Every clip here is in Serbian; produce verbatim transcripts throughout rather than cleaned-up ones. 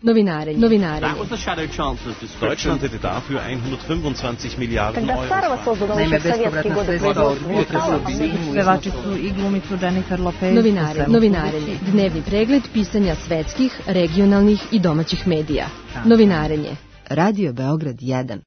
Novinarenje. Novinarenje. Deutschland hätte dafür hundertfünfundzwanzig Milliarden Euro. Naime, bespovratna sredstva od pevači su i glumicu Jennifer Lopez. Novinarenje. Novinarenje. Dnevni pregled pisanja svetskih, regionalnih i domaćih medija. Novinarenje. Radio Beograd jedan.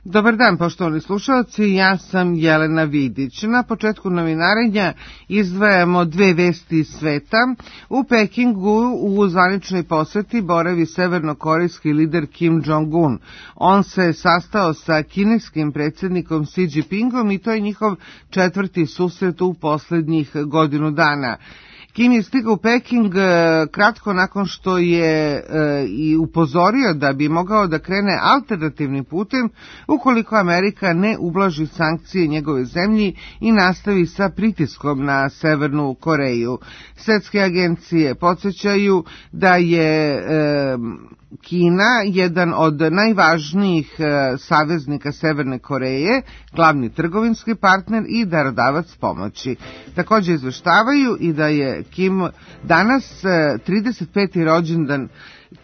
Dobar dan, poštovani slušalci, ja sam Jelena Vidić. Na početku novinarenja izdvajamo dve vesti iz sveta. U Pekingu u zvaničnoj poseti boravi severnokorejski lider Kim Jong-un. On se sastao sa kineskim predsjednikom Xi Jinpingom i to je njihov četvrti susret u poslednjih godinu dana. Kim je stigao u Peking kratko nakon što je i upozorio da bi mogao da krene alternativnim putem ukoliko Amerika ne ublaži sankcije njegove zemlji i nastavi sa pritiskom na Severnu Koreju. Svetske agencije podsjećaju da je Kina jedan od najvažnijih saveznika Severne Koreje, glavni trgovinski partner i darodavac pomoći. Također izveštavaju i da je Kim danas trideset peti rođendan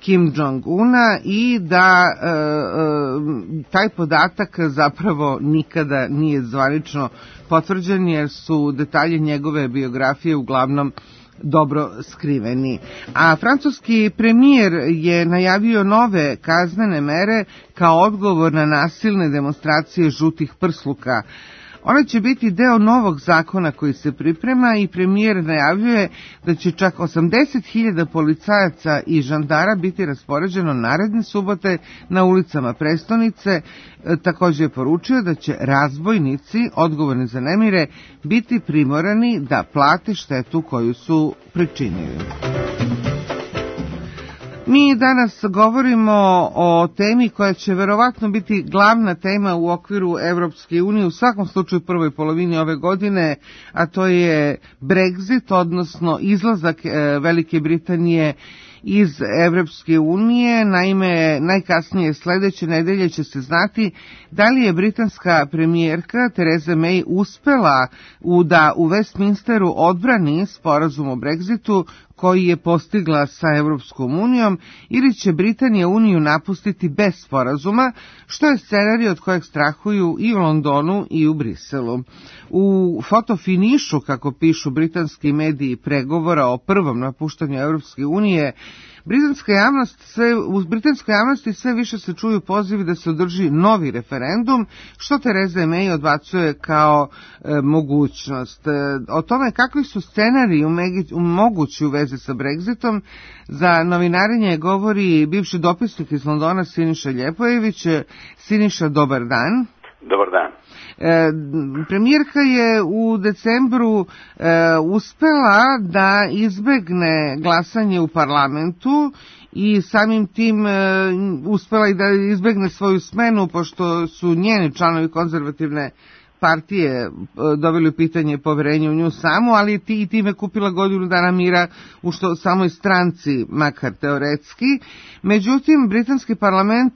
Kim Jong-una i da e, e, taj podatak zapravo nikada nije zvanično potvrđen jer su detalji njegove biografije uglavnom dobro skriveni. A francuski premijer je najavio nove kaznene mere kao odgovor na nasilne demonstracije žutih prsluka. Ona će biti deo novog zakona koji se priprema i premijer najavljuje da će čak osamdeset hiljada policajaca i žandara biti raspoređeno naredne subote na ulicama prestonice. Također je poručio da će razbojnici odgovorni za nemire biti primorani da plate štetu koju su pričinili. Mi danas govorimo o temi koja će verovatno biti glavna tema u okviru Evropske unije, u svakom slučaju u prvoj polovini ove godine, a to je Brexit, odnosno izlazak Velike Britanije iz Evropske unije. Naime, najkasnije sledeće nedelje će se znati da li je britanska premijerka Theresa May uspela u da u Westminsteru odbrani sporazum o Brexitu koji je postigla sa Evropskom unijom ili će Britanija uniju napustiti bez sporazuma, što je scenarij od kojeg strahuju i u Londonu i u Briselu. U fotofinišu, kako pišu britanski mediji pregovora o prvom napuštanju Evropske unije, Britanska javnost sve, u britanskoj javnosti sve više se čuju pozivi da se održi novi referendum, što Theresa May odbacuje kao e, mogućnost. E, o tome kakvi su scenariji mogući u vezi sa Brexitom, za novinarenje govori bivši dopisnik iz Londona Siniša Ljepojević. Siniša, dobar dan. Dobar dan. E, premijerka je u decembru e, uspela da izbegne glasanje u parlamentu i samim tim e, uspela i da izbegne svoju smenu, pošto su njeni članovi konzervativne partije doveli u pitanje poverenje u nju samu, ali ti i time kupila godinu dana mira u što samoj stranci, makar teoretski. Međutim, britanski parlament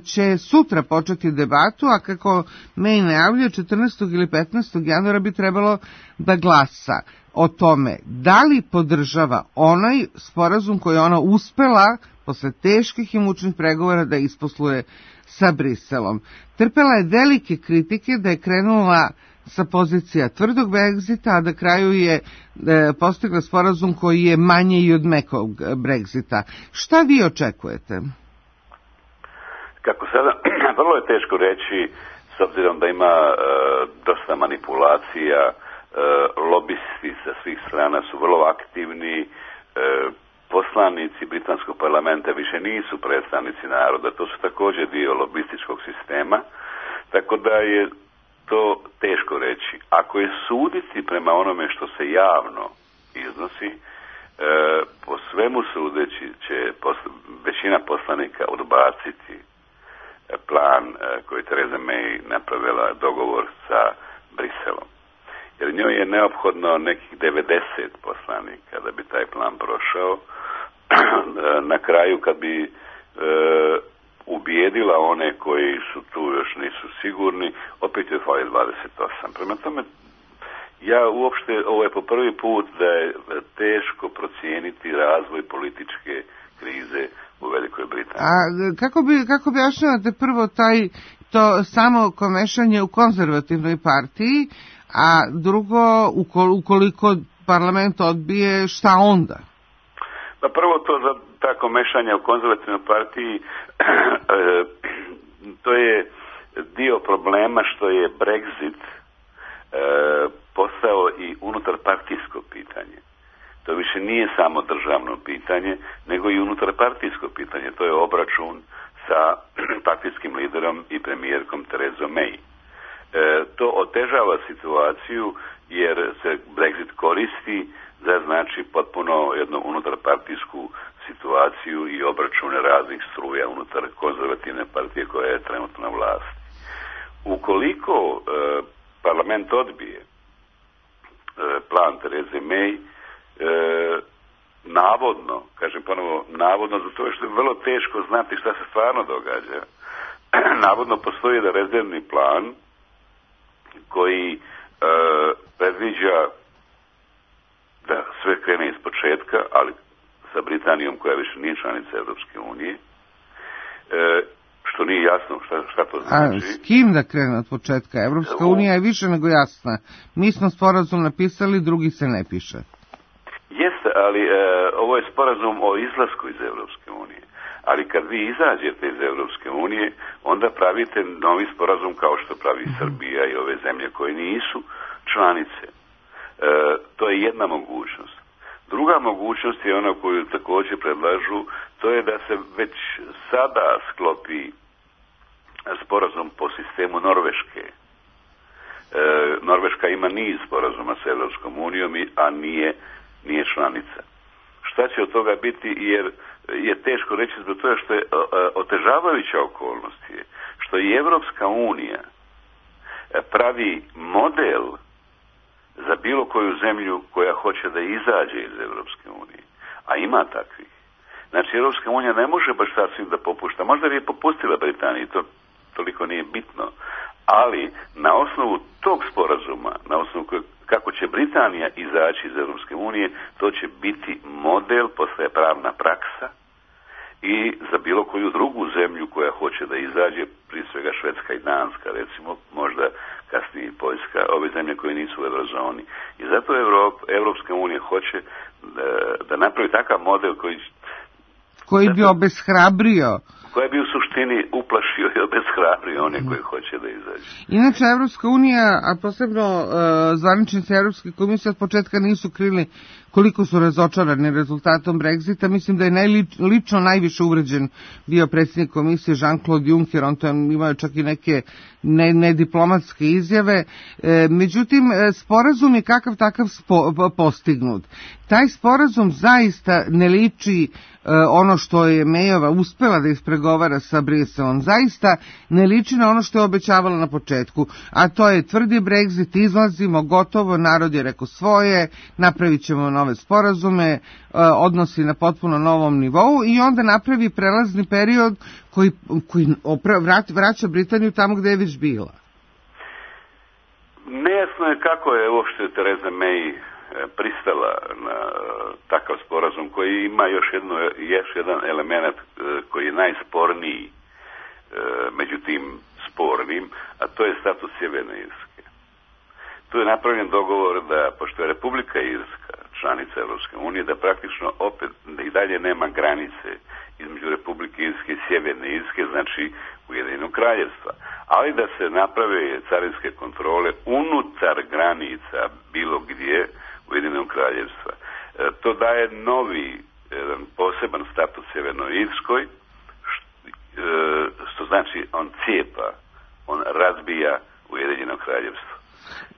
će sutra početi debatu, a kako May najavljuje, četrnaestog ili petnaestog januara bi trebalo da glasa o tome da li podržava onaj sporazum koji ona uspela posle teških i mučnih pregovora da isposluje sa Briselom. Trpela je velike kritike da je krenula sa pozicija tvrdog Brexita, a da kraju je e, postigla sporazum koji je manje i od mekog Brexita. Šta vi očekujete? Kako sada, vrlo je teško reći, s obzirom da ima e, dosta manipulacija, e, lobisti sa svih strana su vrlo aktivni, e, poslanici britanskog parlamenta više nisu predstavnici naroda, to su također dio lobističkog sistema, tako da je to teško reći. Ako je suditi prema onome što se javno iznosi, e, po svemu sudeći će posl- većina poslanika odbaciti plan e, koji Theresa May napravila dogovor sa Briselom. Jer njoj je neophodno nekih devedeset poslanika da bi taj plan prošao. Na kraju, kad bi e, ubijedila one koji su tu još nisu sigurni, opet je fali dvadeset osam. Prema tome, ja uopšte, ovo je po prvi put da je teško procijeniti razvoj političke krize Britanije. A kako bi, kako bi objašnjavate prvo taj, to samo komešanje u konzervativnoj partiji, a drugo, ukoliko parlament odbije, šta onda? Pa prvo to za tako mešanje u konzervativnoj partiji, to je dio problema što je Brexit e, postao i unutarpartijsko pitanje. To više nije samo državno pitanje, nego i unutarpartijsko pitanje. To je obračun sa partijskim liderom i premijerkom Therezom May. E, to otežava situaciju jer se Brexit koristi za znači potpuno jednu unutarpartijsku situaciju i obračune raznih struja unutar konzervativne partije koja je trenutno na vlasti. Ukoliko e, parlament odbije e, plan Therese May, e, navodno, kažem ponovo, navodno zato što je vrlo teško znati šta se stvarno događa, navodno postoji jedan rezervni plan koji e, predviđa da sve krene iz početka, ali sa Britanijom koja više nije članica Evropske unije, e, što nije jasno šta, šta to znači. A s kim da krene od početka? Evropska U... unija je više nego jasna. Mi smo sporazum napisali, drugi se ne piše. Jeste, ali e, ovo je sporazum o izlasku iz Evropske unije. Ali kad vi izađete iz Evropske unije, onda pravite novi sporazum kao što pravi mm-hmm. Srbija i ove zemlje koje nisu članice. E, to je jedna mogućnost. Druga mogućnost je ona koju također predlažu, to je da se već sada sklopi sporazum po sistemu Norveške. E, Norveška ima niz sporazuma sa Evropskom unijom, a nije, nije članica. Šta će od toga biti, jer je teško reći zbog toga što je otežavajuća okolnost je, što i Evropska unija pravi model za bilo koju zemlju koja hoće da izađe iz Evropske unije. A ima takvih. Znači, Evropska unija ne može baš sasvim da popušta. Možda bi je popustila Britaniji, to toliko nije bitno. Ali, na osnovu tog sporazuma, na osnovu koje, kako će Britanija izaći iz Evropske unije, to će biti model, postaje pravna praksa i za bilo koju drugu zemlju koja hoće da izađe, prije svega Švedska i Danska, recimo, možda kasnije i Poljska, ove zemlje koje nisu u eurozoni. I zato Evrop, Evropska unija hoće da, da napravi takav model koji koji bi obeshrabrio, koji bi u suštini uplašio i obeshrabrio one koji hoće da izađe. Inače, Evropska unija, a posebno uh, zvaničnici Evropske komisije od početka nisu krili koliko su razočarani rezultatom Brexita. Mislim da je najlično najviše uvređen bio predsjednik komisije Jean-Claude Juncker, on to je imao čak i neke nediplomatske ne izjave. E, međutim, sporazum je kakav takav spo, postignut. Taj sporazum zaista ne liči ono što je Mayova uspela da ispregovara sa Briselom, zaista ne liči na ono što je obećavala na početku, a to je tvrdi Brexit, izlazimo, gotovo, narod je rekao svoje, napravit ćemo nove sporazume, odnosi na potpuno novom nivou i onda napravi prelazni period koji, koji vraća Britaniju tamo gde je već bila. Nejasno je kako je uopšte Theresa May pristala na takav sporazum koji ima još, jedno, još jedan element koji je najsporniji među tim spornim, a to je status Sjeverne Irske. Tu je napravljen dogovor da, pošto je Republika Irska članica Evropske unije, da praktično opet da i dalje nema granice između Republike Irske i Sjeverne Irske, znači Ujedinjenog kraljevstva, ali da se naprave carinske kontrole unutar granica bilo gdje Ujedinjenog kraljevstva. E, to daje novi, jedan poseban status Sjevernoj Irskoj, što, e, što znači on cijepa, on razbija Ujedinjeno kraljevstvo.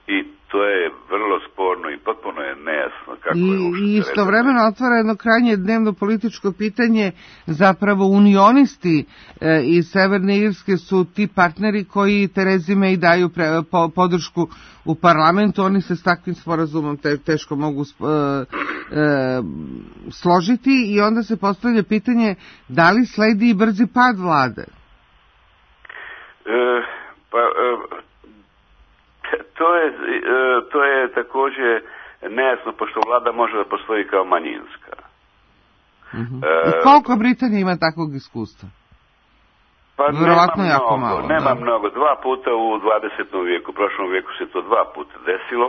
I to je vrlo sporno i potpuno je nejasno kako I, je uopšte. I istovremeno otvara jedno krajnje dnevno političko pitanje, zapravo unionisti e, iz Severne Irske su ti partneri koji Theresi May daju pre, po, podršku u parlamentu, oni se s takvim sporazumom te, teško mogu e, e, složiti i onda se postavlja pitanje da li sledi i brzi pad vlade? E, pa... E, To je, to je također nejasno, pošto vlada može da postoji kao manjinska. Uh-huh. E, I koliko Britanija ima takvog iskustva? Pa Vjerovatno nema jako mnogo, malo. Nema da. mnogo. Dva puta u dvadesetom vijeku, u prošlom vijeku se to dva puta desilo.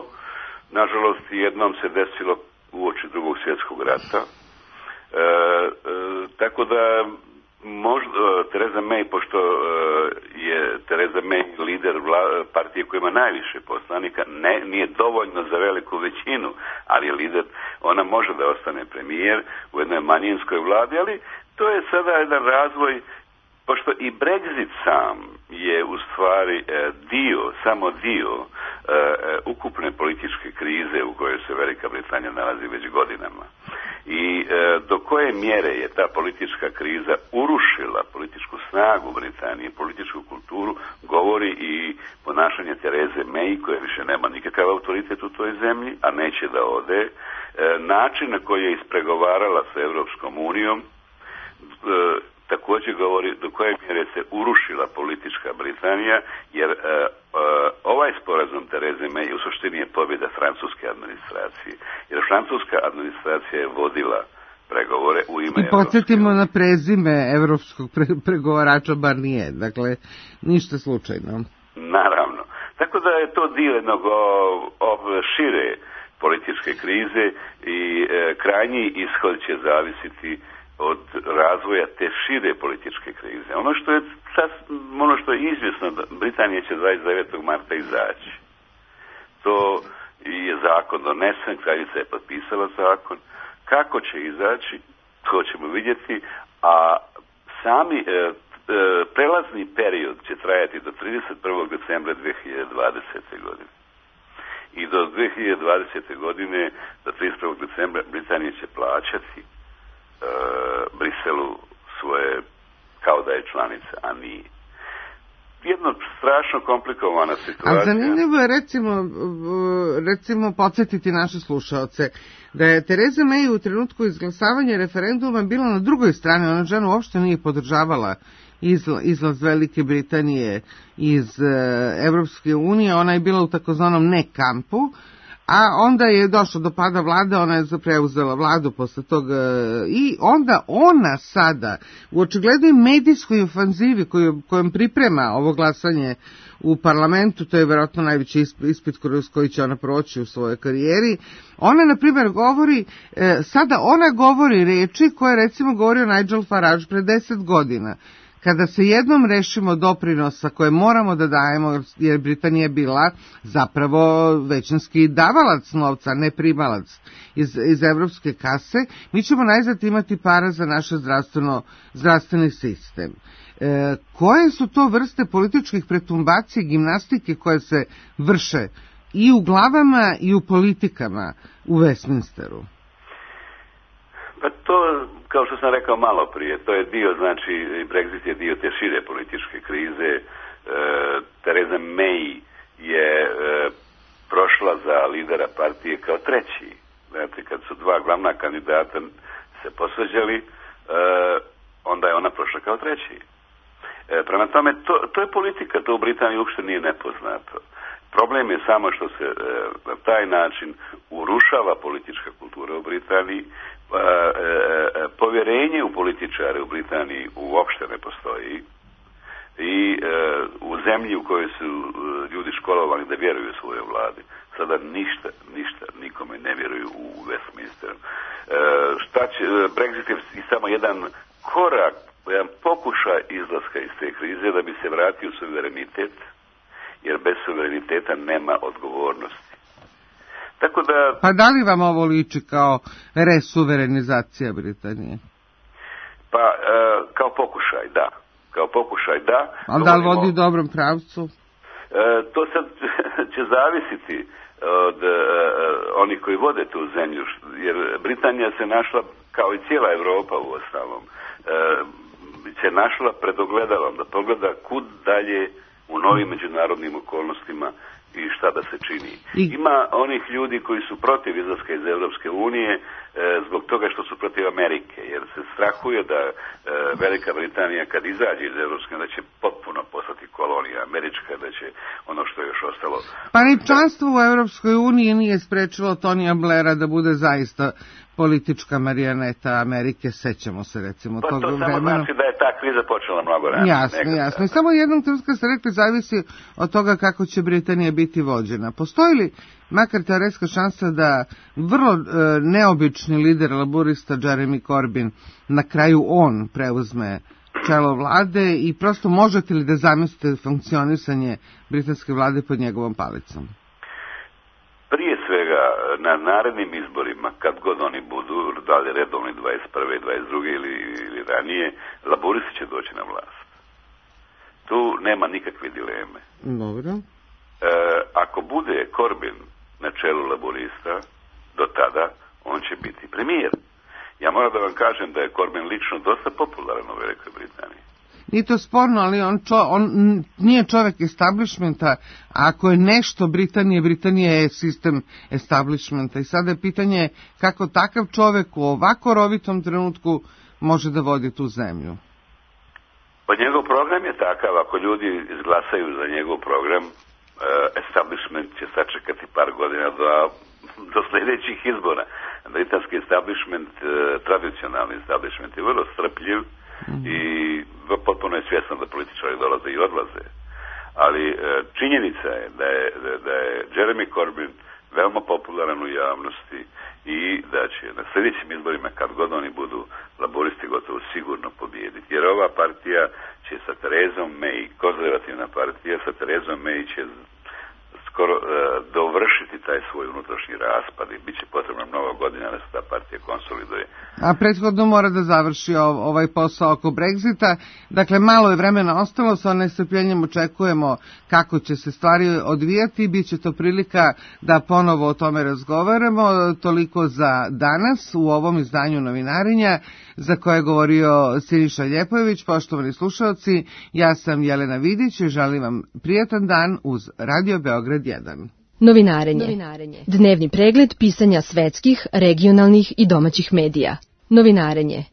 Nažalost, jednom se desilo uoči drugog svjetskog rata. E, e, tako da možda Theresa May, pošto e, je Theresa May lider vla, partije koja ima najviše poslanika, ne, nije dovoljno za veliku većinu, ali je lider, ona može da ostane premijer u jednoj manjinskoj vladi, ali to je sada jedan razvoj, pošto i Brexit sam je u stvari e, dio, samo dio e, ukupne političke krize u kojoj se Velika Britanija nalazi već godinama. I e, do koje mjere je ta politička kriza urušila političku snagu Britanije, političku kulturu, govori i ponašanje Therese May, koja više nema nikakav autoritet u toj zemlji, a neće da ode. E, način na koji je ispregovarala sa Europskom unijom, e, također govori do koje mjere se urušila politička Britanija, jer e, e, ovaj sporazum Therese May u suštini je pobjeda francuske administracije. Jer francuska administracija je vodila pregovore u ime... I podsjetimo na prezime evropskog pre, pregovarača Barnier, dakle, ništa slučajno. Naravno. Tako da je to dio jednog ov, šire političke krize i e, krajnji ishod će zavisiti od razvoja te šire političke krize. Ono što je, ono što je izvjesno, Britanija će dvadeset devetog marta izaći. To je zakon donesen, kraljica je potpisala zakon. Kako će izaći, to ćemo vidjeti, a sami e, e, prelazni period će trajati do trideset prvog decembra dvije hiljade dvadesete. godine. I do dvije hiljade dvadesete. godine, do trideset prvog decembra, Britanija će plaćati Uh, Briselu svoje kao da je članica, a nije. Jedno strašno komplikovana situacija. A zanimljivo je recimo, recimo podsjetiti naše slušaoce da je Theresa May u trenutku izglasavanja referenduma bila na drugoj strani, ona žena uopšte nije podržavala izlaz Velike Britanije iz Evropske unije, ona je bila u takozvanom ne kampu, a onda je došlo do pada vlade, ona je preuzela vladu posle toga i onda ona sada u očiglednoj medijskoj ofanzivi koju, kojom priprema ovo glasanje u parlamentu, to je vjerojatno najveći ispit kroz koji će ona proći u svojoj karijeri, ona na primjer govori, sada ona govori reči koje recimo govorio Nigel Farage pre deset godina. Kada se jednom rešimo doprinosa koje moramo da dajemo, jer Britanija je bila zapravo većinski davalac novca, ne primalac iz, iz evropske kase, mi ćemo najzad imati para za naš zdravstveno, zdravstveni sistem. E, koje su to vrste političkih pretumbacija i gimnastike koje se vrše i u glavama i u politikama u Westminsteru? Pa to, kao što sam rekao malo prije, to je dio, znači, Brexit je dio te šire političke krize. E, Theresa May je e, prošla za lidera partije kao treći. Znači, kad su dva glavna kandidata se posvađali, e, onda je ona prošla kao treći. E, prema tome, to, to je politika, to u Britaniji uopšte nije nepoznato. Problem je samo što se e, na taj način urušava politička kultura u Britaniji. E, e, povjerenje u političare u Britaniji uopšte ne postoji i e, u zemlji u kojoj su e, ljudi školovani da vjeruju svojoj vladi, sada ništa, ništa nikome ne vjeruju u Westminsteru. E, šta će, Brexit je samo jedan korak, jedan pokušaj izlaska iz te krize da bi se vratio suverenitet, jer bez suvereniteta nema odgovornosti. Tako da... Pa da li vam ovo liči kao resuverenizacija Britanije? Pa, e, kao pokušaj, da. Kao pokušaj, da. Ali da li vodi u dobrom pravcu? E, to sad će zavisiti od e, onih koji vode tu zemlju, jer Britanija se našla, kao i cijela Europa u ostalom, e, se našla pred ogledalom da pogleda kud dalje u novim međunarodnim okolnostima i šta da se čini. I... Ima onih ljudi koji su protiv izlaska iz Europske unije e, zbog toga što su protiv Amerike, jer se strahuje da e, Velika Britanija kad izađe iz Europske unije da će potpuno postati kolonija kolonija američka, da će ono što je još ostalo... Pa ni članstvo u Evropskoj uniji nije sprečilo Tonija Blaira da bude zaista politička marijaneta Amerike, sećamo se recimo pa tog to vremena. samo znači da je ta kriza počela mnogo ranije. Jasno, nekada. jasno. I samo jednom trenutka ste rekli zavisi od toga kako će Britanija biti vođena. Postoji li makar teoretska šansa da vrlo e, neobični lider laburista Jeremy Corbyn na kraju on preuzme čelo vlade i prosto možete li da zamislite funkcionisanje britanske vlade pod njegovom palicom? Prije svega, na narednim izborima, kad god oni budu, da li redovni dvadeset prve, dvadeset druge ili, ili ranije, laburisti će doći na vlast. Tu nema nikakve dileme. Dobro. E, ako bude Corbyn na čelu laburista, do tada on će biti premijer. Ja moram da vam kažem da je Corbyn lično dosta popularan u Velikoj Britaniji. Nije to sporno, ali on, čo, on nije čovjek establishmenta, a ako je nešto Britanije, Britanija je sistem establishmenta. I sada je pitanje kako takav čovjek u ovako rovitom trenutku može da vodi tu zemlju. Pa njegov program je takav, ako ljudi izglasaju za njegov program, establishment će sačekati par godina do, do sljedećih izbora. Britanski establishment, tradicionalni establishment je vrlo strpljiv, mm-hmm. i potpuno je svjesno da političari dolaze i odlaze. Ali činjenica je da je, da je Jeremy Corbyn veoma popularan u javnosti i da će na sljedećim izborima, kad god oni budu, laboristi gotovo sigurno pobijediti. Jer ova partija će sa Therezom May, konzervativna partija sa Therezom May će skoro uh, dovršiti taj svoj unutrašnji raspad i bit će potrebno mnogo godina da se ta partija konsoliduje. A prethodno mora da završi ovaj posao oko Brexita. Dakle, malo je vremena ostalo, sa nestrpljenjem očekujemo kako će se stvari odvijati. Biće to prilika da ponovo o tome razgovaramo. Toliko za danas u ovom izdanju Novinarenja za koje je govorio Siniša Ljepojević. Poštovani slušalci, ja sam Jelena Vidić i želim vam prijatan dan uz Radio Beograd jedan. Novinarenje. Novinarenje. Dnevni pregled pisanja svetskih, regionalnih i domaćih medija. Novinarenje.